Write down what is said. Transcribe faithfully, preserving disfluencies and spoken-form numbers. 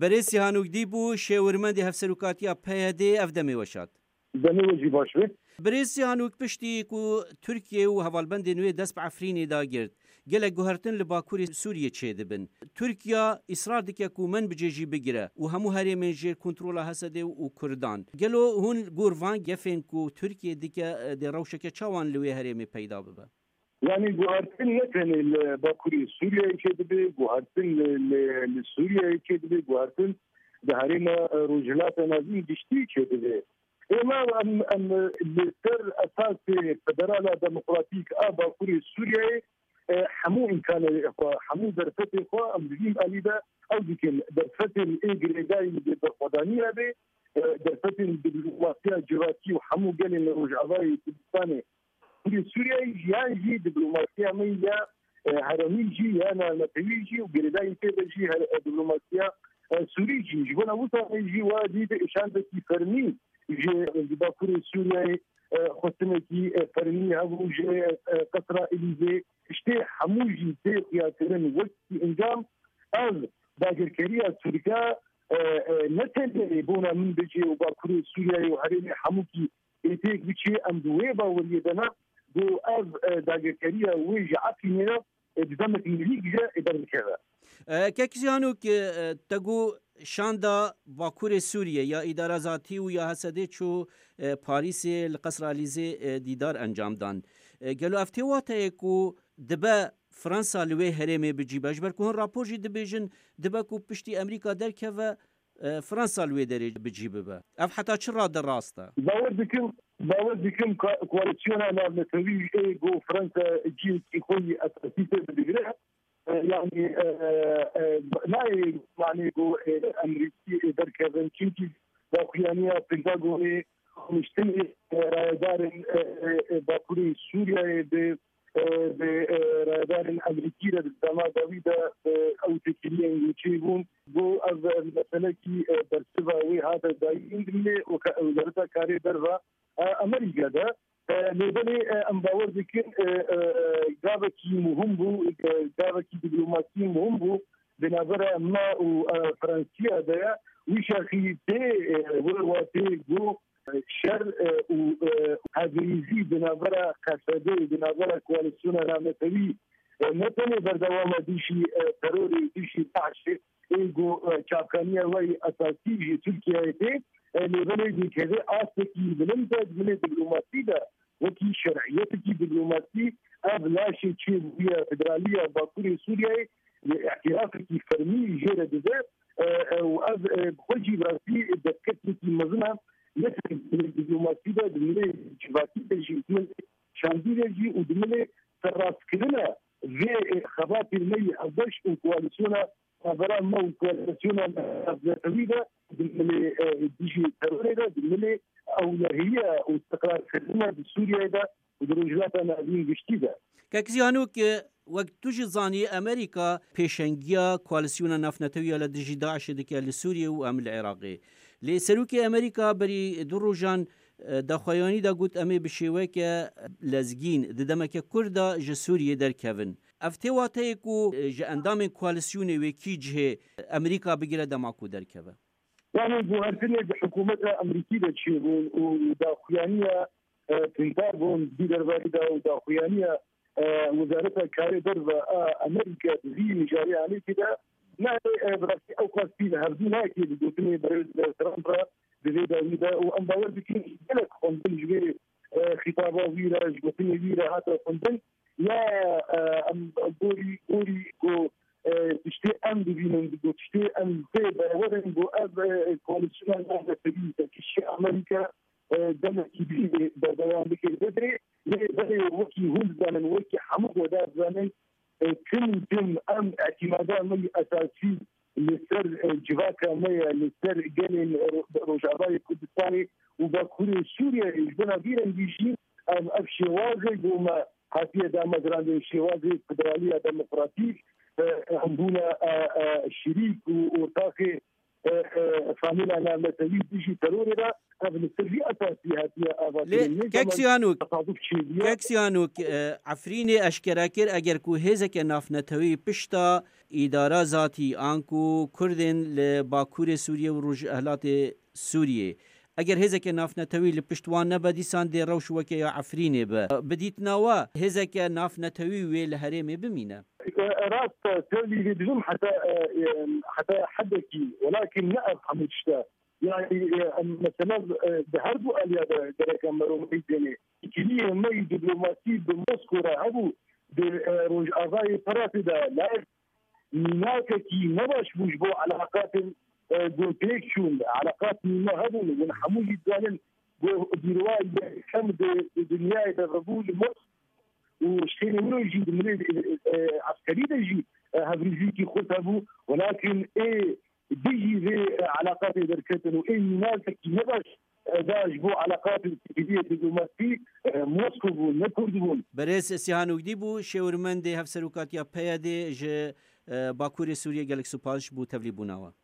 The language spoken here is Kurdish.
Berêz Sîhanûk Dîbû, şêwirmendê Hevserokatiya P Y D, ev demê weşat. Demê we jî baş be. Birêz Sîhanûk, piştî ku Tirkiye û hevalbendên wê dest bi Efrînê de girt, gelek guhertin li Bakurê Sûriyê çêdibin. Tirkiye îsrar dike ku Menbicê jî bigire û hemû herêmên jêr kontrola H S D û Kurdan. Gelo hûn li gor van gefên ku Tirkiye dike, dê rewşeke çawan li wê herêmê peyda bibe? Yanî guhertin ne tenê li Bakurê Sûriyeyê çêdibe, guhertin li, li, li Sûriyeyê çêdibe, guhertin di herêma, e, Rojhilata Navîn giştî çêdibe. Êma em, em li ser esasê federala demokratîk a Bakurê Sûriyeyê, e, hemû îmkanê xwe, hemû derfetê xwe em di vî alî de ew dikin. Derfetên ê girêdayî di berxwedaniya bê, e, derfetên diplomasiya civakî û hemû gelên li Rojavayê Kurdistanê, Kurê Sûriyeyê jî, yan jî diplomasiya me ya, e, herêmî jî, ya navnetewî jî û girêdayî tê de jî her, e, diplomasiya, e, Sûrî jî. Ji bona wisa jî wa dî de şandekî fermî ji, ji Bakurê Sûriyeyê, e, xwestinekî, e, fermî hebû ji, e, Qesra Elîzê. Tiştê hemû jî tê xuyakirin wekî encam. Ev dagirkeriya Tirka, e, e, ne tenê bona Minbicê û Bakurê Sûriyeyê û herêmê hemûkî ê têk biçê, em di wê baweriyê de ne, ku ev, e, dagirkeriya wê ji Efrînê re, e, di demek nêzîk jî, e, derbikeve. E, Kek Ziyanok, e, te got şanda Bakurê Sûriyê ya Îdara Zatî û ya H S D çû, e, Parîsê li Qesra Elîzê, e, dîdar encam dan. E, gelo ev tê wateyê ku dibe Fransa li wê herêmê bi cî be? Ji ber ku hin rapor jî dibêjin, dibe ku piştî Amerîka derkeve, e, Fransa li wê derê bi cî bibe. Ev heta çi rade rast e? Bawer dikim, bawer dikim ka-, koalîsyona navnetewî ê ku Fransa cihekî xwe yî esasî tê bidigire. E, yanî, e, e, nayê manê ku, e, Amerîkî, e, derkevin. Çimkî daxuyaniya Pentagonê, rûniştinê, e, rayedarên, e, e, e, Bakurê Sûriyeyê bi, e, bi, e, rayedarên Amerîkî re di dema dawî de, e, ew têkiliyên wê çêbûn. Got ev, e, meselekî, e, bersiva wê hate dayîn dimê û ke-, wezareta karê derve, e, Amerîka de. E, lê belê, e, em bawer dikin, e, e, gavekî muhim bû, e, gavekî diplomasî muhim bû di navbera me û, e, Fransiya de ye. Wî şerxî tê, e, wê watê ku şer, e, û, e, hevêzî di navbera Q S D, di navbera Koalîsyona Navnetewî, e, ne tenê berdewama dijî, e, terorê, dijî DAIŞê, ê ku, e, çavkaniya wê esasî ji Tirkiyeyê tê, e, lê belê dikeve astekî bilind e di milê diplomasî de, wekî şer'iyetekî diplomasî, ev laşê çêbûye federaliya Bakurê Sûriyeyê, lê îtirafekî fermî jê re dide, e, e, û ev, e, bi xwe jî bi rastî destkeftîkî mezin e, ne tenê di milê diplomasî de, di milê civakî de jî, di milê şandî de jî û di milê serrastkirina vê, e, xebatê me yê hevbeş û koalîsyona navbera me û koalîsyona navnetewî de, di milê, e, dijî terorê de, di milê ewlehiya û istiqrarkirina di Sûriyeyê de û di Rojhilata Navîn giştî de. Kek Ziyanok, wek tu jî zanî, Amerîka pêşengiya koalîsyona navnetewî ya li dijî DAIŞê dike li Sûriyê û em li Iraqê. Lê Serokê Amerîka berî du rojan, e, daxuyanî de got, em ê bi şêweke lezgîn di demeke kurt de ji Sûriyê derkevin. Ev tê wateyê ku, e, ji endamên koalîsyonê wê kî cihê Amerîka bigire dema ku derkeve? Yanî guhertinê di hikûmeta Amerîkî de çêbûn û daxuyaniya, e, Pentagon di derbarê de û daxuyaniya, e, Wezareta Karê Derve a Amerîka di vî mijarê alîkî de nayê, e, bi rastî ew qas pîl hevdû nayê di gotinê berêz Trump re di vê dawî de û em bawer dikin gelek xwendin ji vê, e, xîtaba wî re, ji gotinê wî re hate xwendin. Ya, e, em gorî, gorî ku, e, tiştê em dibînin, ku tiştê em pê bawer in, ku ev, e, koalîsyona navnetewî pêkişî Amerîka, e, demekî bî berdewam bike. Lê belê, lê belê wekî hûn dizanin, wekî hemû guhdar dizanin, e, tim tim em îtîmada me yî esasî li ser, e, civaka me ye, li ser gelên Ro-, Rojavayê Kurdistanê û Bakurê Sûriyeyê. Ji bona vî rengî jî em ev şêwazê ku me hatiye damezrandin, şêwazê federaliya demokratîk, e, em bûne, e, e, şirîk û ortaxê e, e, famîla navnetewî dijî terorê de, ev li ser vî esasî hatiye avakirin. Lê kek Sîhanok, tesaduf çêbûye. Kek Sîhanok, e, Efrînê eşkere kir, eger ku hêzeke navnetewî pişta îdara zatî an ku Kurdên li Bakurê Sûriyê û Rojhilatê Sûriyê, eger hêzeke navnetewî li pişt wan nebe, dîsan dê rewş weke ya Efrînê be. Bi dîtina we hêzeke navnetewî wê li herêmê bimîne? E, rast e, tevlî vê dibim heta, e, e, heta hedekî. Welakin ne ev hemû tişt e. Yani, e, em, mesela, e, di her du aliya de gerek em meromeyî dênê. Kiliye me yî diplomasî bi Moskora hebû, di, e, Rojavayê Firatê de, lê mînakekî ne baş bû ji bo elaqatên, e, ku têk çûn, elaqat nîne hebûn, hûn hemû jî dizanin ku bîrwa yekem di, di dinyayê de vebû li Moskova û şênê wilo jî di milê, e, e, eskerî de jî, e, hevrîzîkî xurt hebû, welakin ê dijî vê, e, elaqatê derketin û ê mînakekî ne baş, e, da ji bo elaqatên têkiliyê diplomasî, e, Moskov bûn, ne Kurd bûn. Berêz Sîhan Ûgdî bû, şêwirmendê Hevserokatiya P Y D'ê ji, e, Bakurê Sûriyê. Gelek spas ji bo tevlîbûna we.